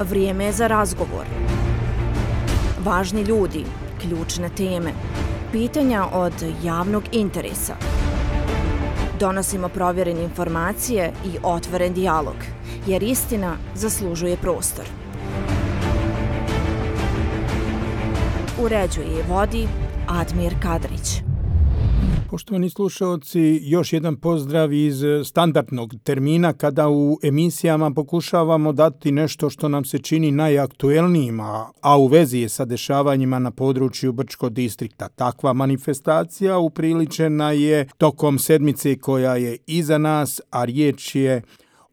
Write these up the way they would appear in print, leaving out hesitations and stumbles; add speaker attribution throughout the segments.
Speaker 1: Vrijeme je za razgovor. Važni ljudi, ključne teme, pitanja od javnog interesa. Donosimo provjerene informacije i otvoren dijalog, jer istina zaslužuje prostor. Uređuje i vodi Admir Kadrić.
Speaker 2: Poštovani slušalci, još jedan pozdrav iz standardnog termina kada u emisijama pokušavamo dati nešto što nam se čini najaktuelnijima, a u vezi je sa dešavanjima na području Brčkog distrikta. Takva manifestacija upriličena je tokom sedmice koja je iza nas, a riječ je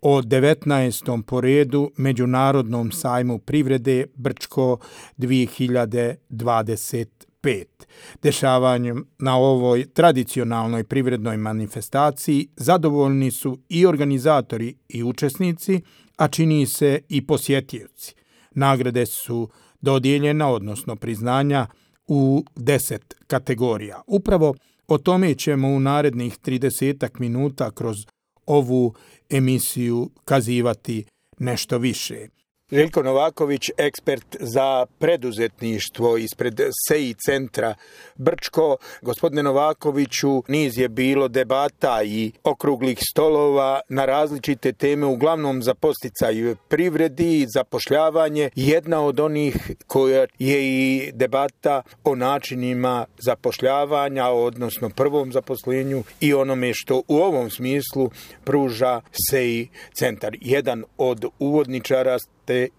Speaker 2: o 19. po redu Međunarodnom sajmu privrede Brčko 2025. Dešavanjem na ovoj tradicionalnoj privrednoj manifestaciji zadovoljni su i organizatori i učesnici, a čini se i posjetioci. Nagrade su dodijeljena, odnosno priznanja, u 10 kategorija. Upravo o tome ćemo u narednih 30 minuta kroz ovu emisiju kazivati nešto više.
Speaker 3: Željko Novaković, ekspert za preduzetništvo ispred SEI centra Brčko. Gospodine Novakoviću, niz je bilo debata i okruglih stolova na različite teme, uglavnom za podsticaj privredi i zapošljavanje. Jedna od onih koja je i debata o načinima zapošljavanja, odnosno prvom zaposlenju i onome što u ovom smislu pruža SEI centar. Jedan od uvodničara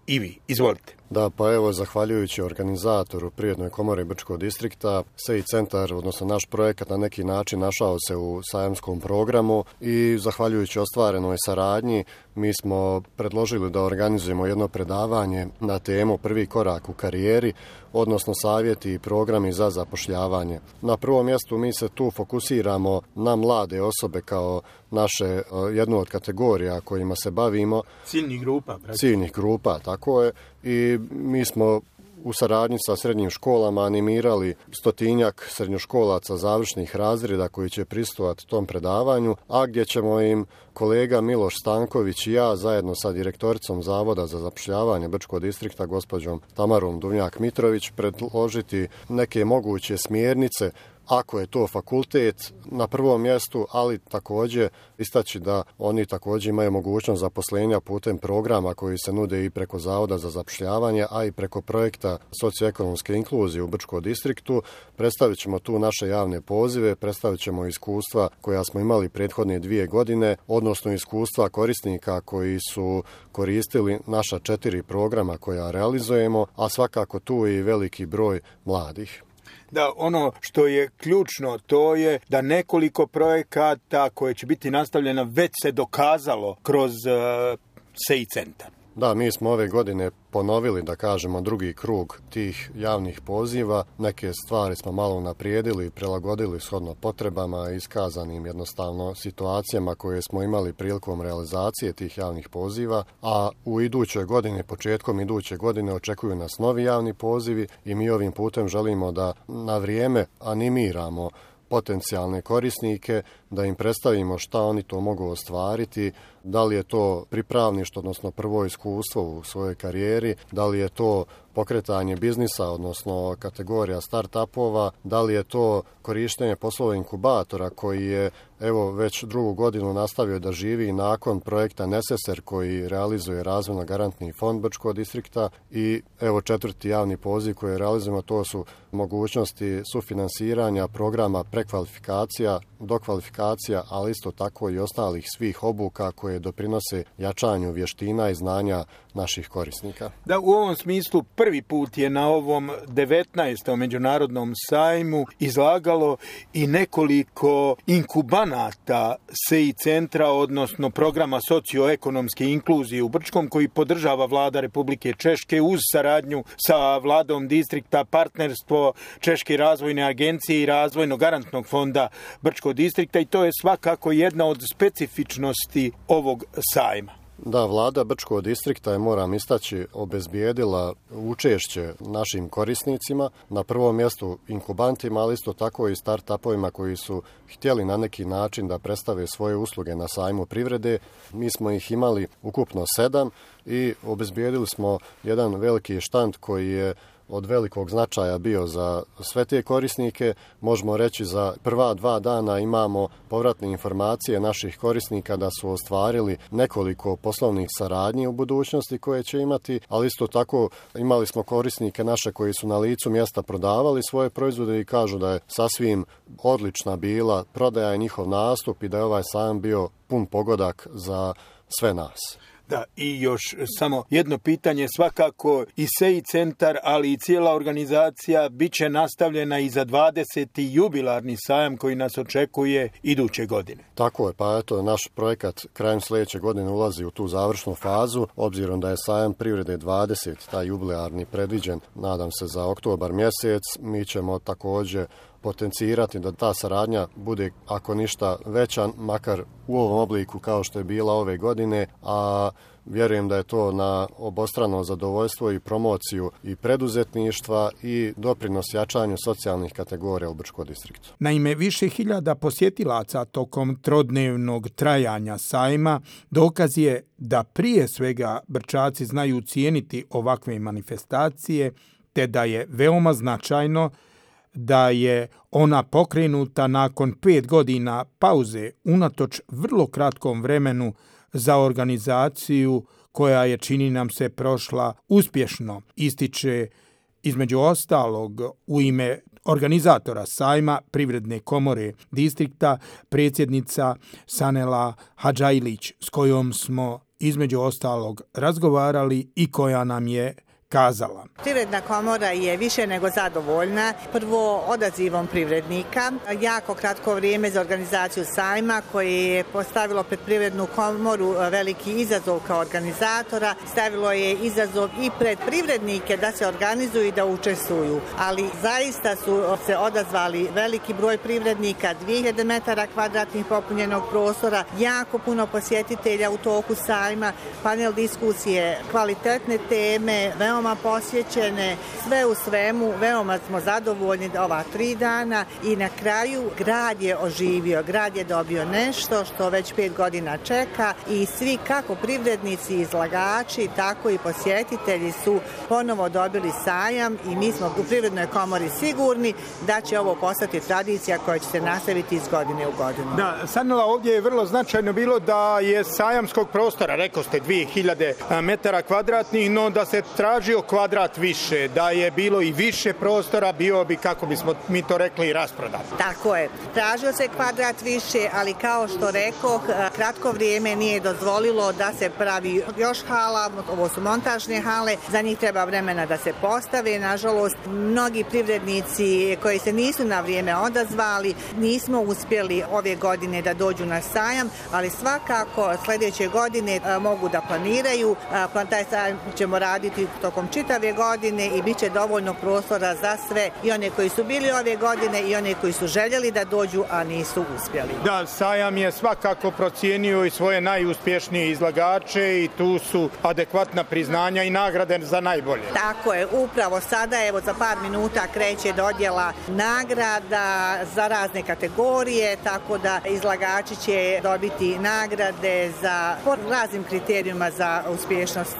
Speaker 3: i vi. Izvolite.
Speaker 4: Da, pa evo, zahvaljujući organizatoru Privrednoj komore Brčkog distrikta, SEI centar, odnosno naš projekat, na neki način našao se u sajamskom programu i zahvaljujući ostvarenoj saradnji mi smo predložili da organizujemo jedno predavanje na temu Prvi korak u karijeri, odnosno savjeti i programi za zapošljavanje. Na prvom mjestu mi se tu fokusiramo na mlade osobe kao naše jednu od kategorija kojima se bavimo. Ciljnih grupa, tako je. I mi smo u saradnji sa srednjim školama animirali 100-tinjak srednjoškolaca završnih razreda koji će prisustvovati tom predavanju, a gdje ćemo im kolega Miloš Stanković i ja zajedno sa direktoricom Zavoda za zapošljavanje Brčkog distrikta gospođom Tamarom Duvnjak-Mitrović predložiti neke moguće smjernice ako je to fakultet na prvom mjestu, ali također istaći da oni također imaju mogućnost zaposlenja putem programa koji se nude i preko Zavoda za zapošljavanje, a i preko projekta socioekonomske inkluzije u Brčkom distriktu. Predstavit ćemo tu naše javne pozive, predstavit ćemo iskustva koja smo imali prethodne 2 godine, odnosno iskustva korisnika koji su koristili naša 4 programa koja realizujemo, a svakako tu i veliki broj mladih.
Speaker 3: Da, ono što je ključno, to je da nekoliko projekata koje će biti nastavljena već se dokazalo kroz SEI centar.
Speaker 4: Da, mi smo ove godine ponovili, da kažemo, drugi krug tih javnih poziva. Neke stvari smo malo unaprijedili i prilagodili shodno potrebama, iskazanim jednostavno situacijama koje smo imali prilikom realizacije tih javnih poziva, a u idućoj godini, početkom iduće godine očekuju nas novi javni pozivi i mi ovim putem želimo da na vrijeme animiramo potencijalne korisnike, da im predstavimo šta oni to mogu ostvariti, da li je to pripravništvo, odnosno prvo iskustvo u svojoj karijeri, da li je to pokretanje biznisa, odnosno kategorija start-upova, da li je to korištenje poslovnog inkubatora koji je evo već 2. godinu nastavio da živi nakon projekta Neseser koji realizuje razvojno-garantni fond Brčkog distrikta i evo 4. javni poziv koji realizujemo, to su mogućnosti sufinansiranja programa prekvalifikacija, dokvalifikacija, ali isto tako i ostalih svih obuka koje doprinose jačanju vještina i znanja naših korisnika.
Speaker 3: Da, u ovom smislu prvi put je na ovom 19. međunarodnom sajmu izlagalo i nekoliko inkubanata SEI centra, odnosno programa socioekonomske inkluzije u Brčkom koji podržava vlada Republike Češke uz saradnju sa vladom distrikta, partnerstvo Češke razvojne agencije i razvojno-garantnog fonda Brčkog distrikta i to je svakako jedna od specifičnosti ovog sajma.
Speaker 4: Da, vlada Brčkog distrikta je, moram istaći, obezbijedila učešće našim korisnicima, na prvom mjestu inkubantima, ali isto tako i start-upovima koji su htjeli na neki način da predstave svoje usluge na sajmu privrede. Mi smo ih imali ukupno 7 i obezbijedili smo jedan veliki štand koji je od velikog značaja bio za sve te korisnike. Možemo reći za prva 2 dana imamo povratne informacije naših korisnika da su ostvarili nekoliko poslovnih saradnji u budućnosti koje će imati, ali isto tako imali smo korisnike naše koji su na licu mjesta prodavali svoje proizvode i kažu da je sasvim odlična bila prodaja i njihov nastup i da je ovaj sajam bio pun pogodak za sve nas.
Speaker 3: Da, i još samo jedno pitanje, svakako i SEI centar, ali i cijela organizacija bit će nastavljena i za 20. jubilarni sajam koji nas očekuje iduće godine.
Speaker 4: Tako je, pa eto, naš projekat krajem sljedeće godine ulazi u tu završnu fazu, obzirom da je sajam privrede 20, taj jubilarni predviđen, nadam se za oktobar mjesec, mi ćemo također potencirati da ta saradnja bude, ako ništa, veća, makar u ovom obliku kao što je bila ove godine, a vjerujem da je to na obostrano zadovoljstvo i promociju i preduzetništva i doprinos jačanju socijalnih kategorija u Brčkom distriktu.
Speaker 2: Naime, više hiljada posjetilaca tokom trodnevnog trajanja sajma dokaz je da prije svega Brčaci znaju cijeniti ovakve manifestacije, te da je veoma značajno da je ona pokrenuta nakon 5 godina pauze unatoč vrlo kratkom vremenu za organizaciju koja je, čini nam se, prošla uspješno, ističe između ostalog u ime organizatora sajma Privredne komore distrikta predsjednica Sanela Hadžajlić, s kojom smo između ostalog razgovarali i koja nam je kazala.
Speaker 5: Privredna komora je više nego zadovoljna. Prvo, odazivom privrednika. Jako kratko vrijeme za organizaciju sajma koje je postavilo pred Privrednu komoru veliki izazov kao organizatora. Stavilo je izazov i pred privrednike da se organizuju i da učestvuju. Ali zaista su se odazvali veliki broj privrednika, 2000 metara kvadratnih popunjenog prostora, jako puno posjetitelja u toku sajma, panel diskusije, kvalitetne teme, veoma posjećene, sve u svemu, veoma smo zadovoljni ova 3 dana i na kraju grad je oživio, grad je dobio nešto što već 5 godina čeka i svi kako privrednici, izlagači, tako i posjetitelji su ponovo dobili sajam i mi smo u Privrednoj komori sigurni da će ovo postati tradicija koja će se nastaviti iz godine u godinu.
Speaker 3: Da, Sanela, ovdje je vrlo značajno bilo da je sajamskog prostora, rekao ste 2000 metara kvadratnih, no da se tražio kvadrat više, da je bilo i više prostora, bio bi, kako bismo mi to rekli, rasprodat.
Speaker 5: Tako je. Tražio se kvadrat više, ali kao što rekoh, kratko vrijeme nije dozvolilo da se pravi još hala, ovo su montažne hale, za njih treba vremena da se postave. Nažalost, mnogi privrednici koji se nisu na vrijeme odazvali, nismo uspjeli ove godine da dođu na sajam, ali svakako sljedeće godine mogu da planiraju. Taj sajam ćemo raditi tokom čitave godine i bit će dovoljno prostora za sve, i one koji su bili ove godine i one koji su željeli da dođu, a nisu uspjeli.
Speaker 3: Da, sajam je svakako procijenio i svoje najuspješnije izlagače i tu su adekvatna priznanja i nagrade za najbolje.
Speaker 5: Tako je, upravo sada, evo za par minuta kreće dodjela nagrada za razne kategorije, tako da izlagači će dobiti nagrade po raznim kriterijima za uspješnost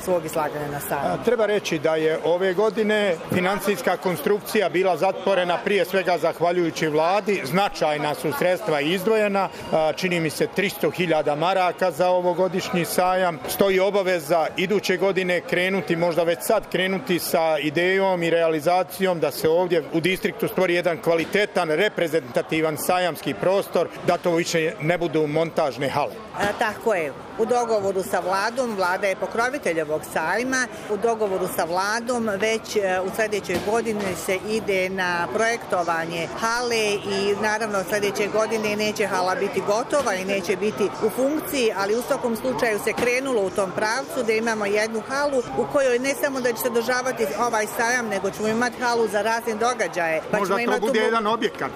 Speaker 5: svog izlaganja na sajmu.
Speaker 3: Treba reći da je ove godine financijska konstrukcija bila zatvorena prije svega zahvaljujući vladi. Značajna su sredstva izdvojena, čini mi se 300.000 maraka za ovogodišnji sajam. Stoji obaveza iduće godine krenuti, možda već sad krenuti sa idejom i realizacijom da se ovdje u distriktu stvori jedan kvalitetan, reprezentativan sajamski prostor, da to više ne budu montažne hale.
Speaker 5: Tako je. U dogovoru sa vladom, vlada je pokrovitelj ovog sajma, u dogovoru sa vladom, već u sljedećoj godini se ide na projektovanje hale i naravno sljedeće godine neće hala biti gotova i neće biti u funkciji, ali u svakom slučaju se krenulo u tom pravcu da imamo jednu halu u kojoj ne samo da će se održavati ovaj sajam, nego ćemo imati halu za razne događaje.
Speaker 3: Možda to bude jedan objekat.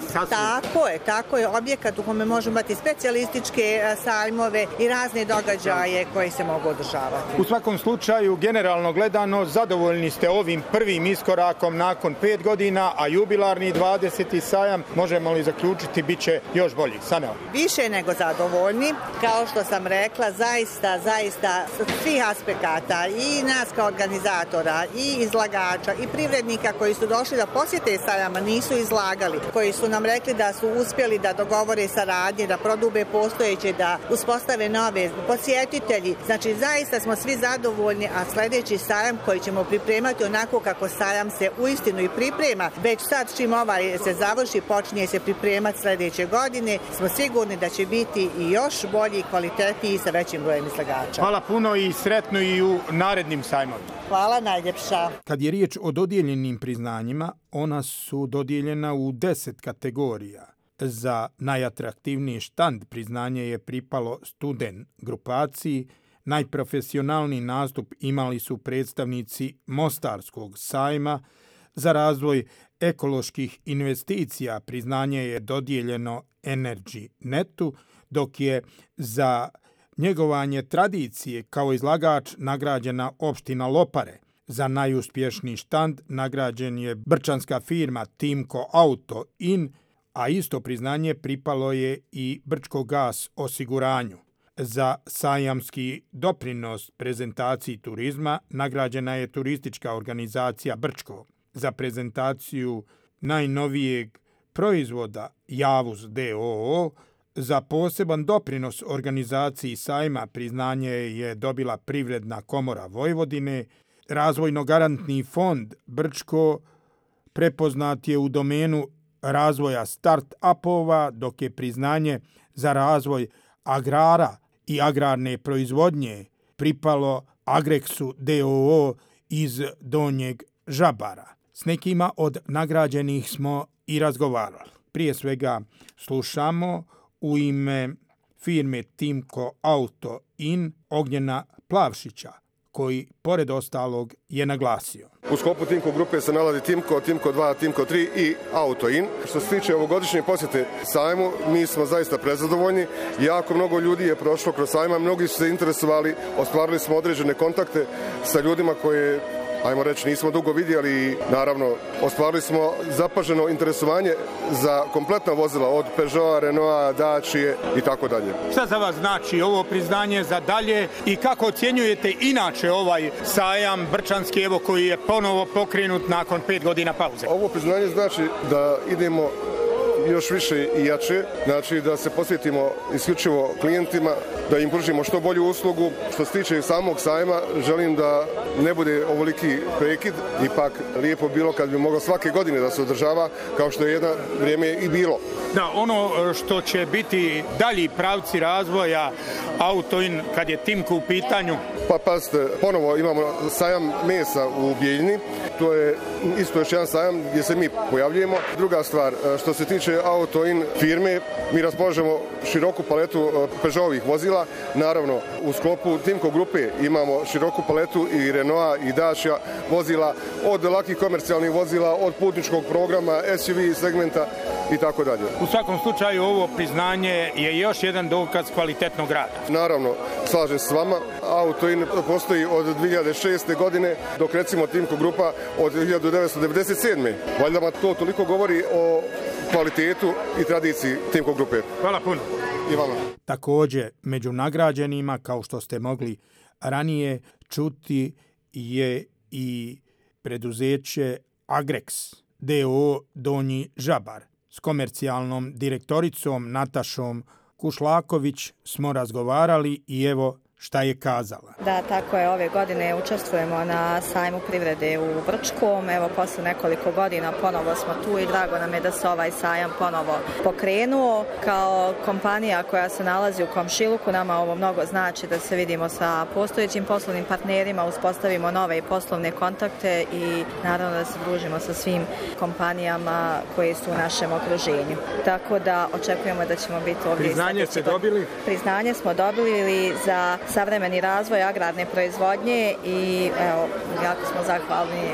Speaker 5: Tako je, objekat u kome možemo imati specijalističke sajmove i razne događaje koji se mogu održavati.
Speaker 3: U svakom slučaju, generalno gledano, zadovoljni ste ovim prvim iskorakom nakon 5 godina, a jubilarni 20. sajam, možemo li zaključiti, bit će još bolji? Saneo?
Speaker 5: Više nego zadovoljni. Kao što sam rekla, zaista svih aspekata i nas kao organizatora i izlagača i privrednika koji su došli da posjete sajama nisu izlagali, koji su nam rekli da su uspjeli da dogovore saradnje, da prodube postojeće, da uspostave nove posjetitelji. Znači, zaista smo svi zadovoljni, a sljedeći sajam koji ćemo pripremati onako kako sajam se uistinu i priprema, već sad čim ovaj se završi, počinje se pripremati sljedeće godine, smo sigurni da će biti i još bolji i kvalitetniji sa većim brojem izlagača.
Speaker 3: Hvala puno i sretno i u narednim sajmovima.
Speaker 5: Hvala najljepša.
Speaker 2: Kad je riječ o dodijeljenim priznanjima, ona su dodijeljena u 10 kategorija. Za najatraktivniji štand priznanje je pripalo Student grupaciji, najprofesionalniji nastup imali su predstavnici Mostarskog sajma, za razvoj ekoloških investicija priznanje je dodijeljeno Energy Netu, dok je za njegovanje tradicije kao izlagač nagrađena opština Lopare. Za najuspješniji štand nagrađen je brčanska firma Timko Auto In, a isto priznanje pripalo je i Brčko gas osiguranju. Za sajamski doprinos prezentaciji turizma nagrađena je turistička organizacija Brčko. Za prezentaciju najnovijeg proizvoda Javuz DOO, za poseban doprinos organizaciji sajma priznanje je dobila Privredna komora Vojvodine. Razvojno-garantni fond Brčko prepoznat je u domenu razvoja start-upova, dok je priznanje za razvoj agrara i agrarne proizvodnje pripalo Agrexu DOO iz Donjeg Žabara. S nekima od nagrađenih smo i razgovarali. Prije svega slušamo u ime firme Timko Auto In Ognjena Plavšića, koji, pored ostalog, je naglasio.
Speaker 6: U sklopu Timko grupe se nalazi Timko, Timko 2, Timko 3 i Auto In. Što se tiče ovogodišnje posjete sajmu, mi smo zaista prezadovoljni. Jako mnogo ljudi je prošlo kroz sajma, mnogi su se interesovali, ostvarili smo određene kontakte sa ljudima koje, ajmo reći, nismo dugo vidjeli i naravno ostvarili smo zapaženo interesovanje za kompletna vozila od Peugeota, Renaulta, Dacia i tako dalje.
Speaker 3: Šta za vas znači ovo priznanje za dalje i kako ocjenjujete inače ovaj sajam brčanski, evo, koji je ponovo pokrenut nakon 5 godina pauze?
Speaker 6: Ovo priznanje znači da idemo još više i jače, znači da se posvetimo isključivo klijentima, da im pružimo što bolju uslugu. Što se tiče samog sajma, želim da ne bude ovoliki prekid, ipak lijepo bilo kad bi moglo svake godine da se održava, kao što je jedno vrijeme i bilo.
Speaker 3: Da, ono što će biti dalji pravci razvoja Auto In kad je Timko u pitanju?
Speaker 6: Pa pazite, ponovo imamo sajam mesa u Bijeljini, to je isto još jedan sajam gdje se mi pojavljujemo. Druga stvar, što se tiče Auto In firme, mi raspolažemo široku paletu Peugeotovih vozila. Naravno, u sklopu Timko grupe imamo široku paletu i Renaulta i Dacia vozila, od lakih komercijalnih vozila, od putničkog programa, SUV segmenta i tako dalje.
Speaker 3: U svakom slučaju ovo priznanje je još jedan dokaz kvalitetnog rada.
Speaker 6: Naravno, slažem se s vama. Auto In postoji od 2006. godine, dok recimo Timko grupa od 1997. Valjda to toliko govori o kvalitetu i tradiciji Timko grupe.
Speaker 3: Hvala puno.
Speaker 6: I vama.
Speaker 2: Također, među nagrađenima, kao što ste mogli ranije čuti, je i preduzeće Agrex DOO Donji Žabar. S komercijalnom direktoricom Natašom Kušlaković smo razgovarali i evo šta je kazala.
Speaker 7: Da, tako je, ove godine učestvujemo na sajmu privrede u Brčkom. Evo, posle nekoliko godina ponovo smo tu i drago nam je da se ovaj sajam ponovo pokrenuo. Kao kompanija koja se nalazi u komšiluku, nama ovo mnogo znači da se vidimo sa postojećim poslovnim partnerima, uspostavimo nove poslovne kontakte i naravno da se družimo sa svim kompanijama koje su u našem okruženju. Tako da očekujemo da ćemo biti ovdje.
Speaker 3: Priznanje ste dobili?
Speaker 7: Priznanje smo dobili za savremeni razvoj agrarne proizvodnje i evo, jako smo zahvalni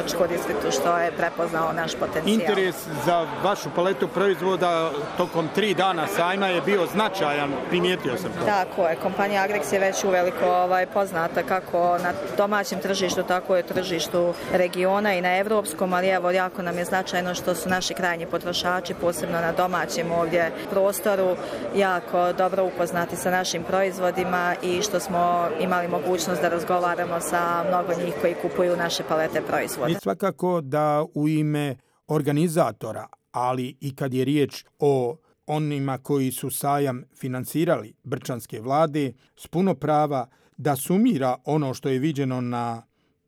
Speaker 7: Brčkom distriktu što je prepoznao naš potencijal.
Speaker 3: Interes za vašu paletu proizvoda tokom 3 dana sajma je bio značajan, primijetio sam to.
Speaker 7: Tako je, kompanija Agrex je već uveliko poznata kako na domaćem tržištu, tako je tržištu regiona i na evropskom, ali evo jako nam je značajno što su naši krajnji potrošači, posebno na domaćem ovdje prostoru, jako dobro upoznati sa našim proizvodima i što smo imali mogućnost da razgovaramo sa mnogo njih koji kupuju naše palete proizvoda.
Speaker 2: I svakako da u ime organizatora, ali i kad je riječ o onima koji su sajam finansirali brčanske vlade, s puno prava da sumira ono što je viđeno na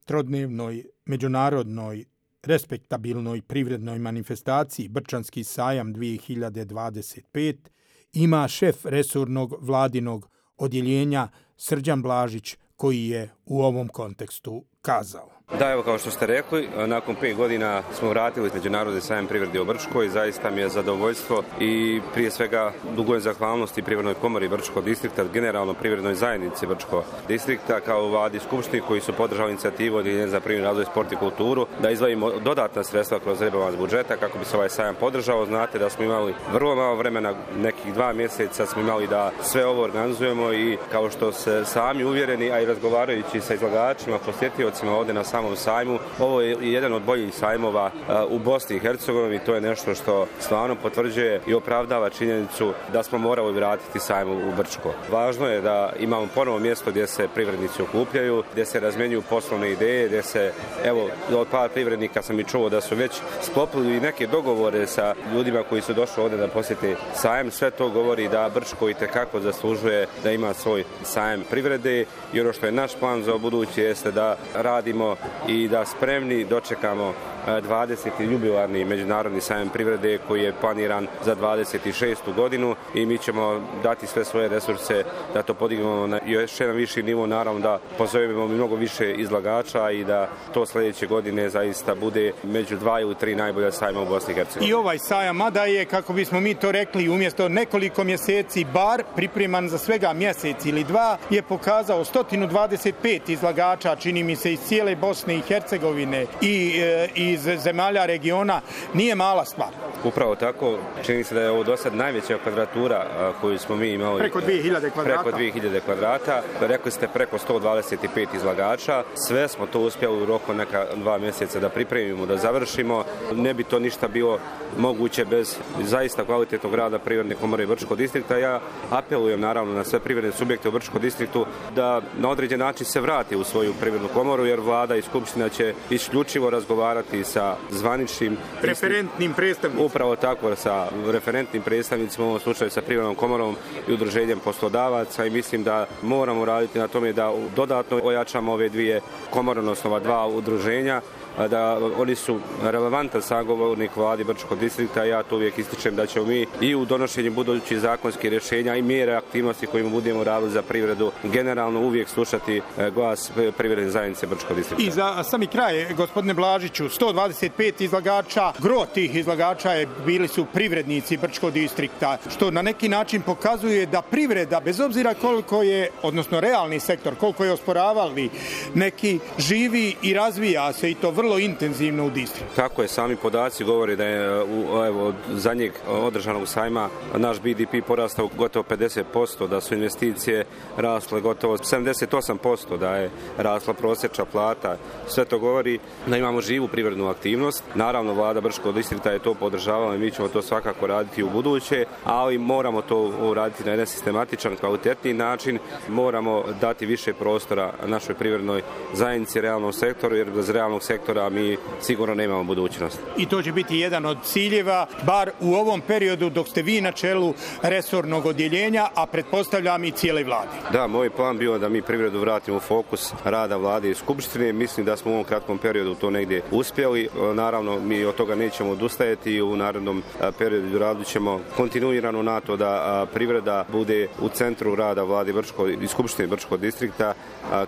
Speaker 2: trodnevnoj međunarodnoj respektabilnoj privrednoj manifestaciji Brčanski sajam 2025, ima šef resornog vladinog odjeljenja Srđan Blažić koji je u ovom kontekstu kazao.
Speaker 8: Da, evo kao što ste rekli, nakon 5 godina smo vratili Međunarodni sajam privrede u Brčkoj. Zaista mi je zadovoljstvo i prije svega dugujem zahvalnosti Privrednoj komori Brčkog distrikta, generalno Privrednoj zajednici Brčkog distrikta kao vladi skupštini koji su podržali inicijativu Odjeljenja za privredni razvoj, sport i kulturu da izdvojimo dodatna sredstva kroz rebalans budžeta kako bi se ovaj sajam podržao. Znate da smo imali vrlo malo vremena, nekih 2 mjeseca smo imali da sve ovo organizujemo i kao što se sami uvjereni, a i razgovarajući sa izlagačima, posjetiocima ovdje na samom sajmu, ovo je jedan od boljih sajmova u Bosni i Hercegovini i to je nešto što stvarno potvrđuje i opravdava činjenicu da smo morali vratiti sajmu u Brčko. Važno je da imamo ponovo mjesto gdje se privrednici okupljaju, gdje se razmjenjuju poslovne ideje, gdje se, evo, od par privrednika sam i čuo da su već sklopili neke dogovore sa ljudima koji su došli ovdje da posjete sajam. Sve to govori da Brčko itekako zaslužuje da ima svoj sajam privrede i ono što je naš plan za buduće jeste da radimo i da spremni dočekamo 20. jubilarni međunarodni sajam privrede koji je planiran za 26. godinu i mi ćemo dati sve svoje resurse da to podignemo na još jedan viši nivo, naravno da pozovemo mnogo više izlagača i da to sljedeće godine zaista bude među 2 ili 3 najbolja sajma u Bosni i Hercegovini.
Speaker 3: I ovaj sajam, mada je, kako bismo mi to rekli, umjesto nekoliko mjeseci bar pripreman za svega mjesec ili 2, je pokazao 125 izlagača, čini mi se iz cijele Bosne i Hercegovine i iz zemalja regiona, nije mala stvar.
Speaker 8: Upravo tako, čini se da je ovo do sad najveća kvadratura koju smo mi imali.
Speaker 3: Preko 2000 kvadrata.
Speaker 8: Preko 2000 kvadrata. Rekli ste preko 125 izlagača. Sve smo to uspjeli u roku neka 2 mjeseca da pripremimo, da završimo. Ne bi to ništa bilo moguće bez zaista kvalitetnog rada Privredne komore Brčkog distrikta. Ja apelujem naravno na sve privredne subjekte u Brčkom distriktu da na određen način se vrati u svoju Privrednu komoru jer vlada i skupština će isključivo razgovarati sa zvaničnim
Speaker 3: referentnim predstavnicima.
Speaker 8: Upravo tako, sa referentnim predstavnicima, u ovom slučaju sa Privrednom komorom i udruženjem poslodavaca i mislim da moramo raditi na tome da dodatno ojačamo ove dvije komore, odnosno ova 2 udruženja, da oni su relevantan sagovornik vladi Brčkog distrikta. Ja to uvijek ističem da ćemo mi i u donošenju budućih zakonskih rješenja i mjere aktivnosti kojima budemo radili za privredu generalno uvijek slušati glas privredne zajednice Brčkog distrikta.
Speaker 3: I za sami kraj, gospodine Blažiću, 125 izlagača, gro tih izlagača bili su privrednici Brčkog distrikta, što na neki način pokazuje da privreda, bez obzira koliko je, odnosno realni sektor, koliko je osporavali, neki živi i razvija se i to vrlo intenzivno u distriktu.
Speaker 8: Tako je, sami podaci govore da je od zadnjeg održanog sajma naš BDP porastao gotovo 50%, da su investicije rasle gotovo 78%, da je rasla prosječna plata. Sve to govori da imamo živu privrednu aktivnost. Naravno, vlada Brčkog distrikta je to podržavala i mi ćemo to svakako raditi u buduće, ali moramo to raditi na jedan sistematičan, kvalitetni način. Moramo dati više prostora našoj privrednoj zajednici, realnom sektoru, jer bez realnog sektora prostora, a mi sigurno nemamo budućnost.
Speaker 2: I to će biti jedan od ciljeva, bar u ovom periodu dok ste vi na čelu resornog odjeljenja, a pretpostavljam i cijele vlade.
Speaker 8: Da, moj plan bio da mi privredu vratimo u fokus rada vlade i skupštine. Mislim da smo u ovom kratkom periodu to negdje uspjeli. Naravno, mi od toga nećemo odustajati i u narednom periodu radit ćemo kontinuirano na to da privreda bude u centru rada vlade i skupštine Brčkog distrikta,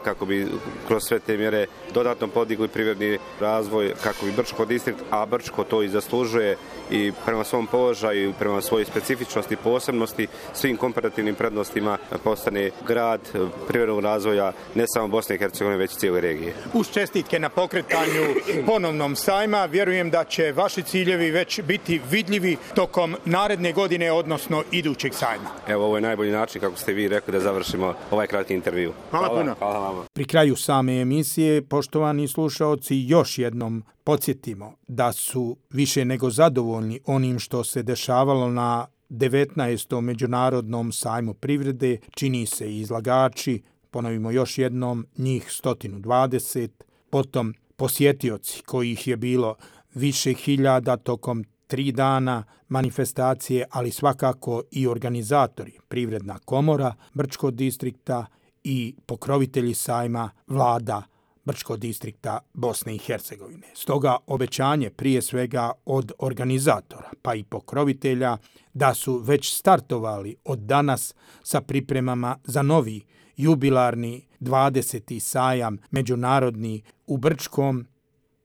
Speaker 8: kako bi kroz sve te mjere dodatno podigli privredni razvoj, kako bi Brčko distrikt, a Brčko to i zaslužuje i prema svom položaju i prema svojoj specifičnosti, posebnosti, svim komparativnim prednostima postane grad privrednog razvoja ne samo Bosne i Hercegovine, već i cijele regije.
Speaker 2: Uz čestitke na pokretanju ponovnom sajma, vjerujem da će vaši ciljevi već biti vidljivi tokom naredne godine, odnosno idućeg sajma.
Speaker 8: Evo, ovo je najbolji način, kako ste vi rekli, da završimo ovaj kratki intervju.
Speaker 2: Hvala puno.
Speaker 8: Hvala vama.
Speaker 2: Pri kraju same emisije, poštovani slušaoci, još jednom podsjetimo da su više nego zadovoljni onim što se dešavalo na 19. Međunarodnom sajmu privrede, čini se i izlagači, ponovimo još jednom, njih 120, potom posjetioci kojih je bilo više hiljada tokom 3 dana manifestacije, ali svakako i organizatori, Privredna komora Brčkog distrikta i pokrovitelji sajma, vlada Brčkog distrikta Bosne i Hercegovine. Stoga obećanje prije svega od organizatora pa i pokrovitelja da su već startovali od danas sa pripremama za novi jubilarni 20. sajam međunarodni u Brčkom,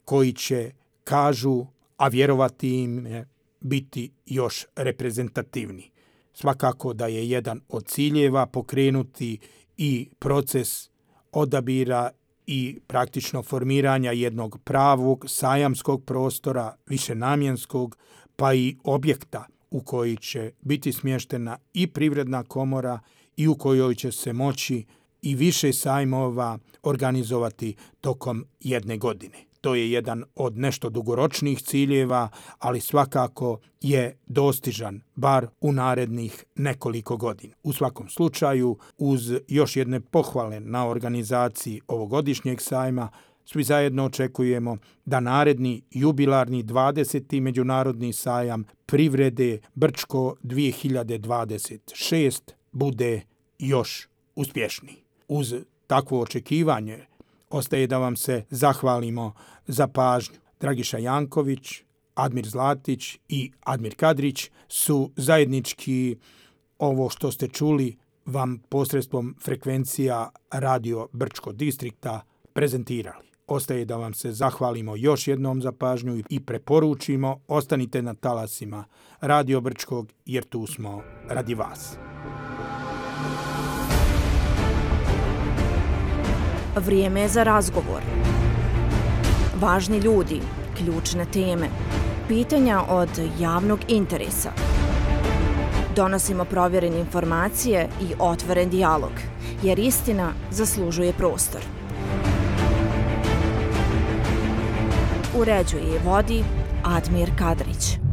Speaker 2: koji će, kažu, a vjerovati im biti još reprezentativni. Svakako da je jedan od ciljeva pokrenuti i proces odabira i praktično formiranja jednog pravog sajamskog prostora, višenamjenskog, pa i objekta u koji će biti smještena i Privredna komora i u kojoj će se moći i više sajmova organizovati tokom jedne godine. To je jedan od nešto dugoročnih ciljeva, ali svakako je dostižan bar u narednih nekoliko godina. U svakom slučaju, uz još jedne pohvale na organizaciji ovogodišnjeg sajma, svi zajedno očekujemo da naredni jubilarni 20. međunarodni sajam privrede Brčko 2026 bude još uspješniji. Uz takvo očekivanje ostaje da vam se zahvalimo za pažnju. Dragiša Janković, Admir Zlatić i Admir Kadrić su zajednički ovo što ste čuli vam posredstvom frekvencija Radio Brčkog distrikta prezentirali. Ostaje da vam se zahvalimo još jednom za pažnju i preporučimo ostanite na talasima Radio Brčkog jer tu smo radi vas.
Speaker 1: Vrijeme je za razgovor. Važni ljudi, ključne teme, pitanja od javnog interesa. Donosimo provjerene informacije i otvoren dijalog, jer istina zaslužuje prostor. Uređuje i vodi Admir Kadrić.